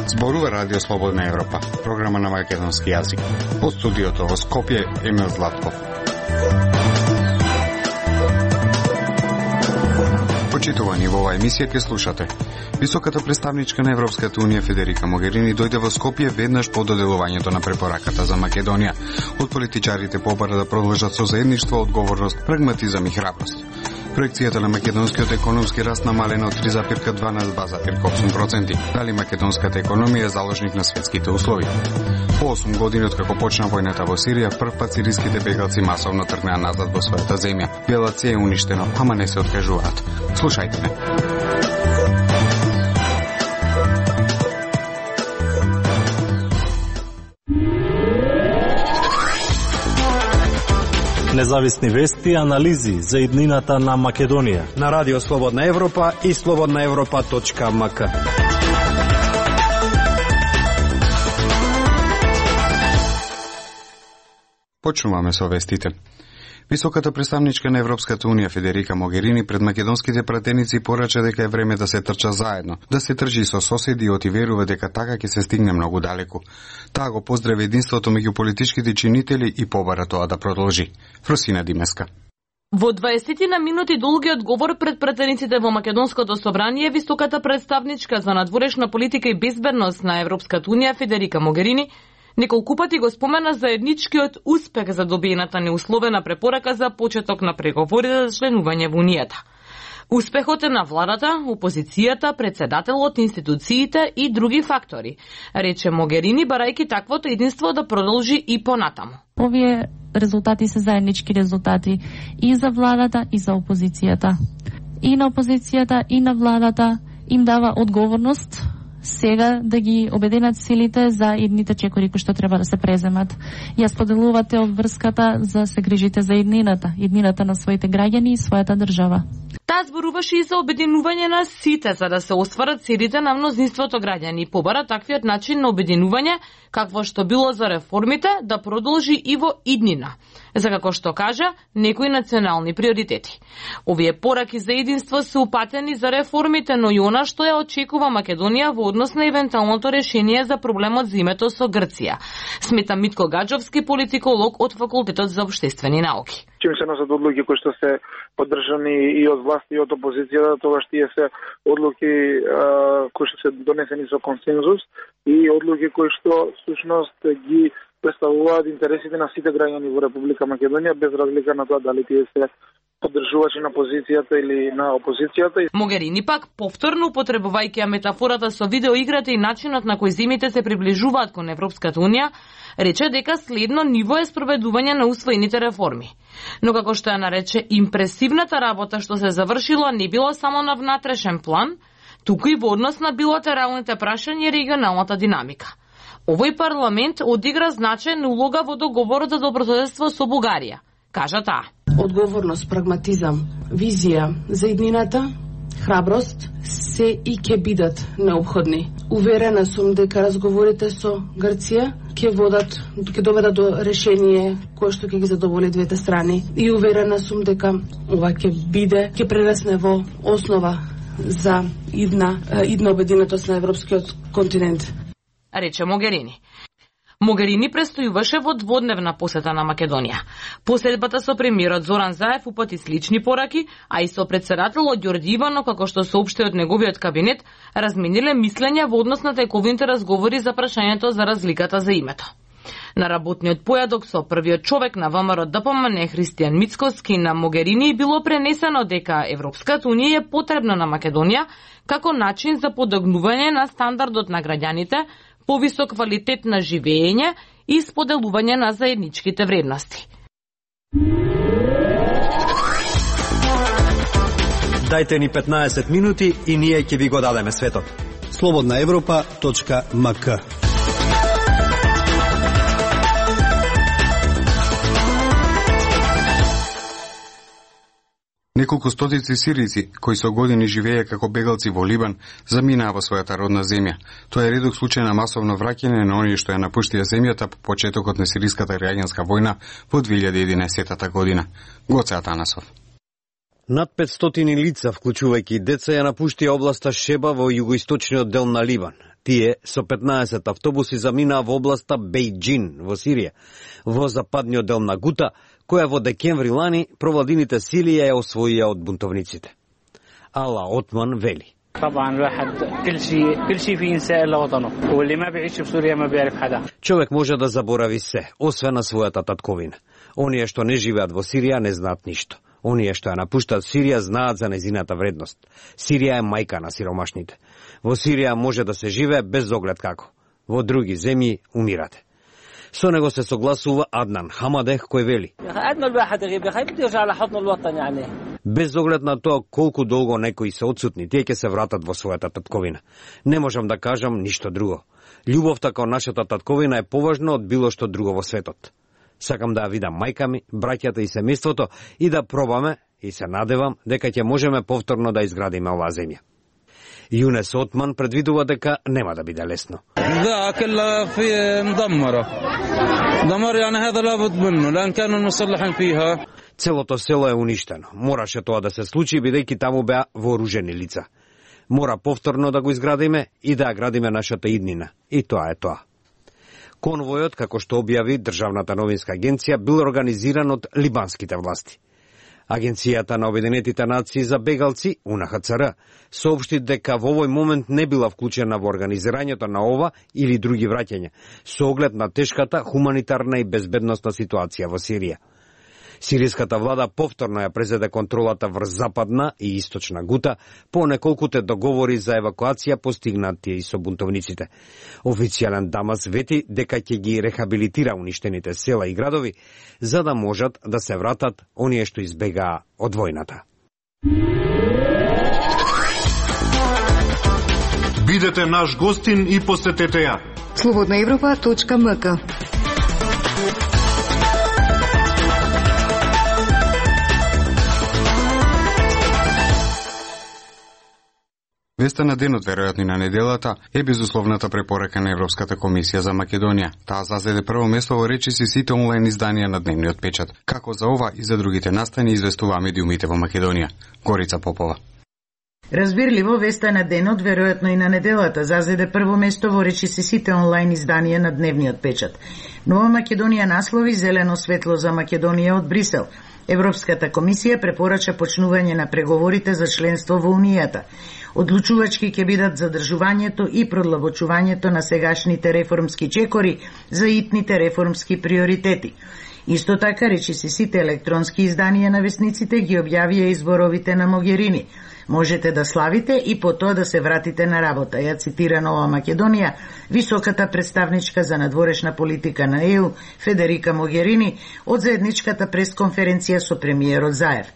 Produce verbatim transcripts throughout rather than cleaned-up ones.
Зборува Радио Слободна Европа, програма на македонски јазик. Од студиото во Скопје, Емил Златков. Почитувани, во оваа емисија ќе слушате. Високата представничка на Европската унија Федерика Могерини дојде во Скопје веднаш по доделувањето на препораката за Македонија. Од политичарите побара да продолжат со заедништво, одговорност, прагматизам и храброст. Проекцијата на македонскиот економски раст намалена од три запирка два на два запирка осум проценти. Дали македонската економија е заложник на светските услови? По осум години од како почна војната во Сирија, првпат сириските бегалци масовно тргнаа назад во својата земја. Белаце е уништено, ама не се откажуваат. Слушајте ме. Независни вести и анализи за иднината на Македонија на Радио Слободна Европа и слободна европа точка ем ка. Почнуваме со вестите. Високата представничка на Европската унија Федерика Могерини пред македонските пратеници порача дека е време да се трча заедно, да се тржи со соседи и отиверува дека така ќе се стигне многу далеку. Таа го поздрави единството меѓу политичките чинители и побара тоа да продолжи. Фросина Димеска. Во дваесет на минути долгиот говор пред пратениците во Македонското собрание, високата представничка за надворешна политика и безбедност на Европската унија Федерика Могерини неколку пати го спомена заедничкиот успех за добиената неусловена препорака за почеток на преговорите за членување во Унијата. Успехот е на владата, опозицијата, председателот, институциите и други фактори, рече Могерини, барајќи таквото единство да продолжи и понатаму. Овие резултати се заеднички резултати и за владата и за опозицијата. И на опозицијата и на владата им дава одговорност сега да ги обединат силите за идните чекори кои што треба да се преземат. Ја споделувате обврската за се грижите за иднината, иднината на своите граѓани и својата држава. Таа зборуваше и за обединување на сите за да се остварат целите на мнозинството граѓани и побара таквиот начин на обединување, какво што било за реформите, да продолжи и во иднина, за како што кажа, некои национални приоритети. Овие пораки за единство се упатени за реформите, но и она што ја очекува Македонија во однос на евентуалното решение за проблемот за името со Грција, смета Митко Гаджовски, политиколог од Факултетот за општествени науки. Чим се носат одлуки кои што се поддржани и од власт и од опозицијата, тогаш тие се одлуки а, кои што се донесени со консензус и одлуки кои што всушност ги представуваат интересите на сите граѓани во Република Македонија, без разлика на тоа дали тие се поддржувачи на позицијата или на опозицијата. Могерини пак, повторно употребувајќи метафората со видеоиграта и начинот на кој земјите се приближуваат кон Европската унија, рече дека следно ниво е спроведување на усвоените реформи. Но како што ја нарече, импресивната работа што се завршила не било само на внатрешен план, туку и во однос на билатералните прашања и регионалната динамика. Овој парламент одигра значајна улога во договорот за добрососедство со Бугарија, кажа таа. Одговорност, прагматизам, визија за иднината, храброст се и ќе бидат необходни. Уверена сум дека разговорите со Грција ќе водат, ќе доведат до решение кое што ќе ги задоволи двете страни. И уверена сум дека ова ќе биде, ќе прерасне во основа за идна, идна обединетост на европскиот континент, рече Могерини. Могерини престојуваше во дводневна посета на Македонија. Посетбата со премиерот Зоран Заев упати слични пораки, а и со председателот Ѓорѓи Иванов, како што соопшти од неговиот кабинет, размениле мислења во однос на тековите разговори за прашањето за разликата за името. На работниот појадок со првиот човек на ВМРО Д П М Н Христијан Мицкоски на Могерини било пренесено дека Европската унија е потребна на Македонија како начин за подигнување на стандардот на граѓаните, повисок квалитет на живење и споделување на заедничките вредности. Дајте ни петнаесет минути и ние ќе ви го дадеме светот. слободна европа точка ем ка. Неколку стотици сирици, кои со години живееја како бегалци во Либан, заминаа во својата родна земја. Тоа е редок случај на масовно враќање на оние што ја напуштија земјата по почетокот на сириската граѓанска војна во две илјади и единаесетта година. Гоце Атанасов. Над петстотини лица, вклучувајќи деца, ја напуштија областа Шеба во југоисточниот дел на Либан. Тие со петнаесет автобуси заминаа во областа Бејџин во Сирија, во западниот дел на Гута, која во декември лани провладините сили ја освоија од бунтовниците. Ала Отман вели: طبعا الواحد كل شيء كل شيء في ينسى الا وطنه واللي ما بيعيش في سوريا ما بيعرف حدا. Човек може да заборави се, освен на својата татковина. Оние што не живеат во Сирија не знаат ништо. Оние што ја напуштаат Сирија знаат за нејзината вредност. Сирија е мајка на сиромашните. Во Сирија може да се живее без оглед како. Во други земји умирате. Со него се согласува Аднан Хамадех, кој вели: без оглед на тоа колку долго некои се отсутни, тие ќе се вратат во својата татковина. Не можам да кажам ништо друго. Љубовта кон нашата татковина е поважна од било што друго во светот. Сакам да ја видам мајка ми, браќата и семејството и да пробаме и се надевам дека ќе можеме повторно да изградиме оваа земја. Јунес Отман предвидува дека нема да биде лесно. Да, كلها في مدمرة. دمر يعني هذا لابد منه لأن كانوا المصلحين فيها. Целото село е уништено. Мораше тоа да се случи бидејќи таму беа вооружени лица. Мора повторно да го изградиме и да ја градиме нашата иднина. И тоа е тоа. Конвојот, како што објави Државната новинска агенција, бил организиран од либанските власти. Агенцијата на Обединетите нации за бегалци, У Н Х Ц Р, соопшти дека во овој момент не била вклучена во организирањето на ова или други враќања, со оглед на тешката хуманитарна и безбедносна ситуација во Сирија. Сиријската влада повторно ја презеде контролата врз западна и источна Гута по неколкуте договори за евакуација постигнати и со бунтовниците. Официјален Дамас вети дека ќе ги рехабилитира уништените села и градови за да можат да се вратат оние што избегаа од војната. Бидете наш гостин и посетете ја слободна европа точка м к. Веста на денот, веројатно и на неделата, е безусловната препорака на Европската комисија за Македонија. Таа зазеде прво место во речиси сите онлайн изданија на дневниот печат. Како за ова и за другите настани известува медиумите во Македонија. Горица Попова. Разбирливо, веста на денот, веројатно и на неделата, зазеде прво место во речиси сите онлайн изданија на дневниот печат. Нова Македонија наслови зелено светло за Македонија од Брисел. Европската комисија препорача почнување на преговорите за членство во Унијата. Одлучувачки ќе бидат задржувањето и продлабочувањето на сегашните реформски чекори за итните реформски приоритети. Исто така, речиси сите електронски изданија на весниците ги објавија изборовите на Могерини. Можете да славите и по тоа да се вратите на работа, ја цитира Нова Македонија, високата представничка за надворешна политика на Е У, Федерика Могерини, од заедничката пресконференција со премиерот Заев.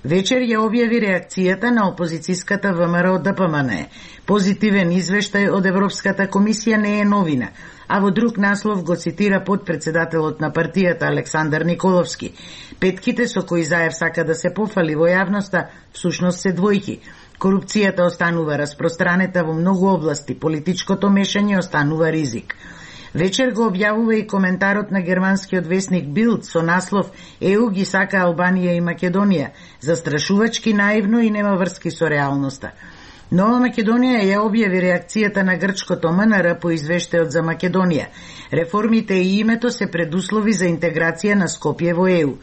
Вечер ја објави реакцијата на опозицијската В М Р од Д П М Н. Позитивен извештај од Европската комисија не е новина, а во друг наслов го цитира подпредседателот на партијата Александар Николовски. Петките со кои Заев сака да се пофали во јавноста всушност се двојки. Корупцијата останува распространета во многу области, политичкото мешање останува ризик. Вечер го објавува и коментарот на германскиот весник Билд со наслов Е У ги сака Албанија и Македонија, застрашувачки, наивно и нема врски со реалноста. Нова Македонија ја објави реакцијата на грчкото М Н Р по извештајот за Македонија. Реформите и името се предуслови за интеграција на Скопје во Е У.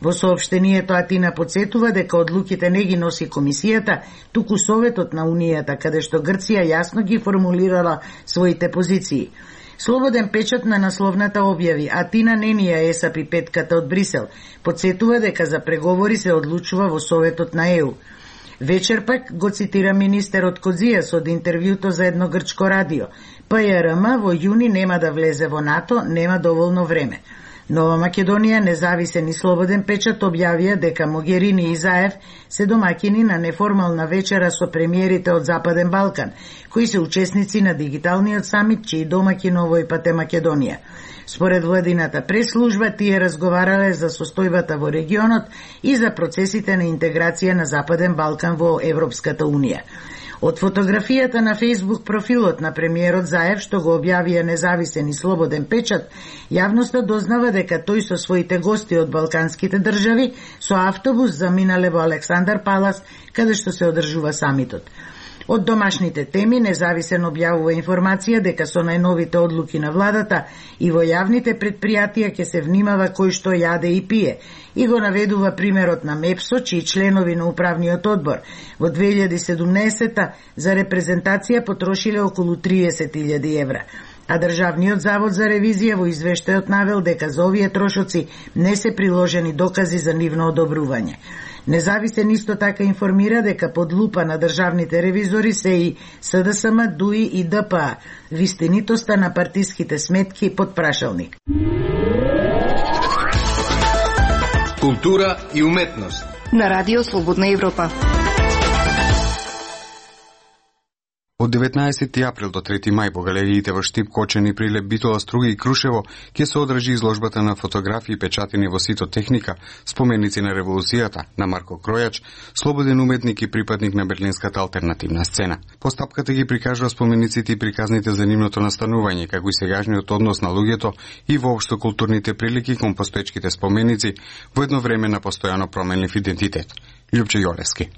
Во соопштението Атина подсетува дека одлуките не ги носи комисијата, туку Советот на Унијата, каде што Грција јасно ги формулирала своите позиции. Слободен печат на насловната објави Атина не ни ја есапи петката од Брисел, подсетува дека за преговори се одлучува во Советот на Е У. Вечер пак го цитира министерот Кодзијас од интервјуто за едно грчко радио. П Ј Р М во јуни нема да влезе во НАТО, нема доволно време. Нова Македонија, независен и слободен печат објавија дека Могерини и Заев се домаќини на неформална вечера со премиерите од Западен Балкан, кои се учесници на дигиталниот самит, чиј домаќин овој пат е Македонија. Според владината прес-служба, тие разговарале за состојбата во регионот и за процесите на интеграција на Западен Балкан во Европската Унија. Од фотографијата на Facebook профилот на премиерот Заев, што го објавија независен и слободен печат, јавноста дознава дека тој со своите гости од балканските држави со автобус заминале во Александар Палас, каде што се одржува самитот. Од домашните теми, независен објавува информација дека со најновите одлуки на владата и во јавните предпријатија ќе се внимава кој што јаде и пие, и го наведува примерот на МЕПСО, чии членови на управниот одбор во две илјади и седумнаесета за репрезентација потрошиле околу триесет илјади евра. А Државниот завод за ревизија во извештајот навел дека за овие трошоци не се приложени докази за нивно одобрување. Независен исто така информира дека под лупа на државните ревизори се и СДСМ, ДУИ и ДПА, вистинитоста на партиските сметки под прашалник. Култура и уметност на Радио Слободна Европа. Од деветнаесети април до трети мај во галериите во Штип, Кочани, Прилеп, Битола, Струга и Крушево ќе се одржи изложбата на фотографии печатени во Ситотехника, споменици на револуцијата на Марко Кројач, слободен уметник и припадник на берлинската алтернативна сцена. Постапката ги прикажува спомениците и приказните за нивното настанување, како и сегашниот однос на луѓето и воопшто културните прилики кон постоечките споменици во едно време на постојано променлив идентитет. Љупче Јолевски.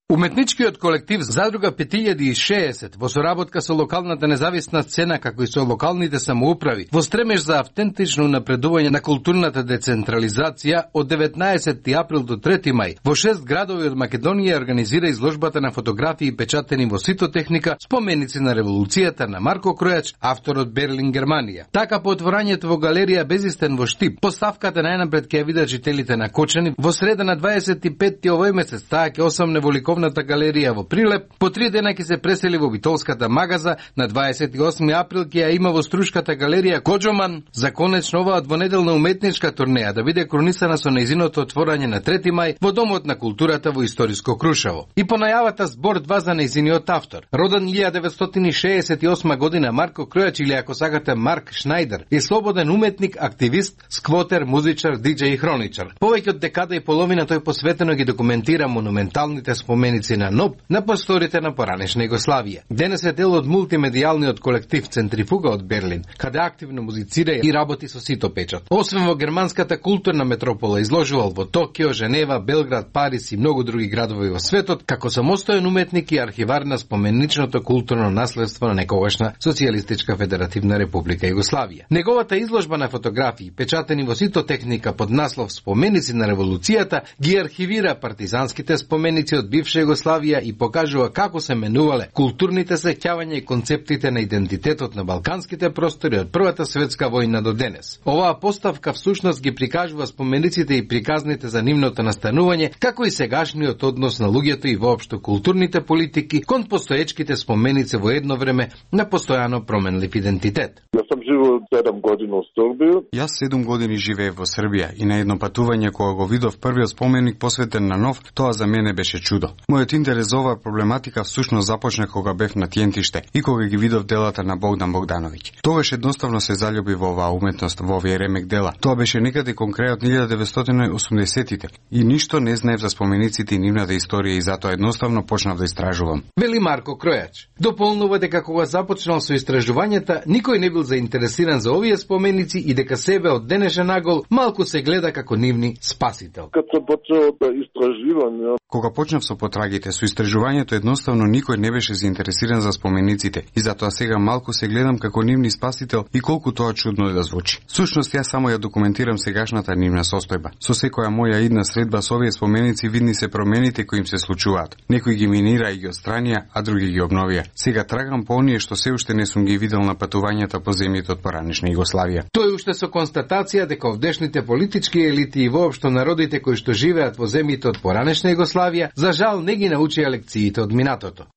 Уметничкиот колектив Задруга пет илјади и шеесет во соработка со локалната независна сцена како и со локалните самоуправи во стремеж за автентично напредување на културната децентрализација од деветнаесети април до трети мај во шест градови од Македонија организира изложбата на фотографии печатени во Ситотехника, споменици на револуцијата на Марко Кројач, автор од Берлин, Германија. Така по отворањето во галерија Безистен во Штип, поставката најнапред ќе ја видат жителите на Кочани, во среда на дваесет и петти овој месец таа ќе осамне во Ликовната галерија во Прилеп, по три дена ќе се пресели во Битолската магаза, на дваесет и осми април ќе ја има во Струшката галерија Коџоман, за конечно оваа двонеделна уметничка турнеја да биде кронисана со нејзиното отворање на трети мај во Домот на културата во историско Крушево. И по најавата збор два за нејзиниот автор. Роден илјада деветстотини шеесет и осма година, Марко Кројач, или ако сакате Марк Шнајдер, е слободен уметник, активист, сквотер, музичар, диџеј и хроничар. Повеќе од декада и половина тој посветено ги документира монументалните споменици на НОБ на просторите на поранешна Југославија. Денес е дел од мултимедијалниот колектив Центрифуга од Берлин, каде активно музицира и работи со Ситопечат. Освен во германската културна метропола, изложувал во Токио, Женева, Белград, Париз и многу други градови во светот, како самостоен уметник и архивар на споменичното културно наследство на некогашна Социјалистичка федеративна република Југославија. Неговата изложба на фотографии, печатени во Ситотехника под наслов Споменици на револуцијата, ги архивира партизанските споменици од бивша Југославија и покажува како се менувале културните сеќавања и концептите на идентитетот на балканските простори од Првата светска војна до денес. Оваа поставка всушност ги прикажува спомениците и приказните за нивното настанување, како и сегашниот однос на луѓето и воопшто културните политики кон постоечките споменици во едно време на постојано променлив идентитет. Јас сум живеел седум години во Србија. Јас седум години живеев во Србија и на едно патување кога го видов првиот споменик посветен на нов, тоа за мене беше чудо. Мојот интерес за оваа проблематика всушност започна кога бев на Тиентиште и кога ги видов делата на Богдан Богдановиќ. Тогаш едноставно се залюби во оваа уметност, во овие ремек дела. Тоа беше некаде кон крајот на илјада деветстотини и осумдесеттите и ништо не знаев за спомениците и нивната историја и затоа едноставно почнав да истражувам. Вели Марко Кројач. Дополнува дека кога започнал со истражувањата, никој не бил заинтересиран за овие споменици и дека себе од денешен нагол малку се гледа како нивни спасител. Кога почнав да истражувам, кога почнав со потрагите со истражувањето, едноставно никој не беше заинтересиран за спомениците и затоа сега малку се гледам како нивни спасител и колку тоа чудно да звучи. Сушност јас само ја документирам сегашната нивна состојба. Со секоја моја идна средба со овие споменици видни се промените кои им се случуваат. Некои ги минира и ги отстранија, а други ги обновија. Сега трагам по оние што се уште не сум ги видел на патувањата по земјите од поранешна Југославија. Тој уште со констатација дека овдешните политички елити и воопшто народите кои што живеат во земјите од поранешна Југославија за жал не ги научија лекциите од минатото.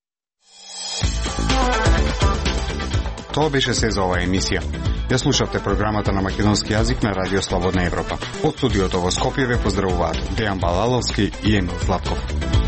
Тоа беше се за оваа емисија. Ја слушавте програмата на македонски јазик на Радио Слободна Европа. Од студиото во Скопје ве поздравуваат Дејан Балаловски и Емил Златков.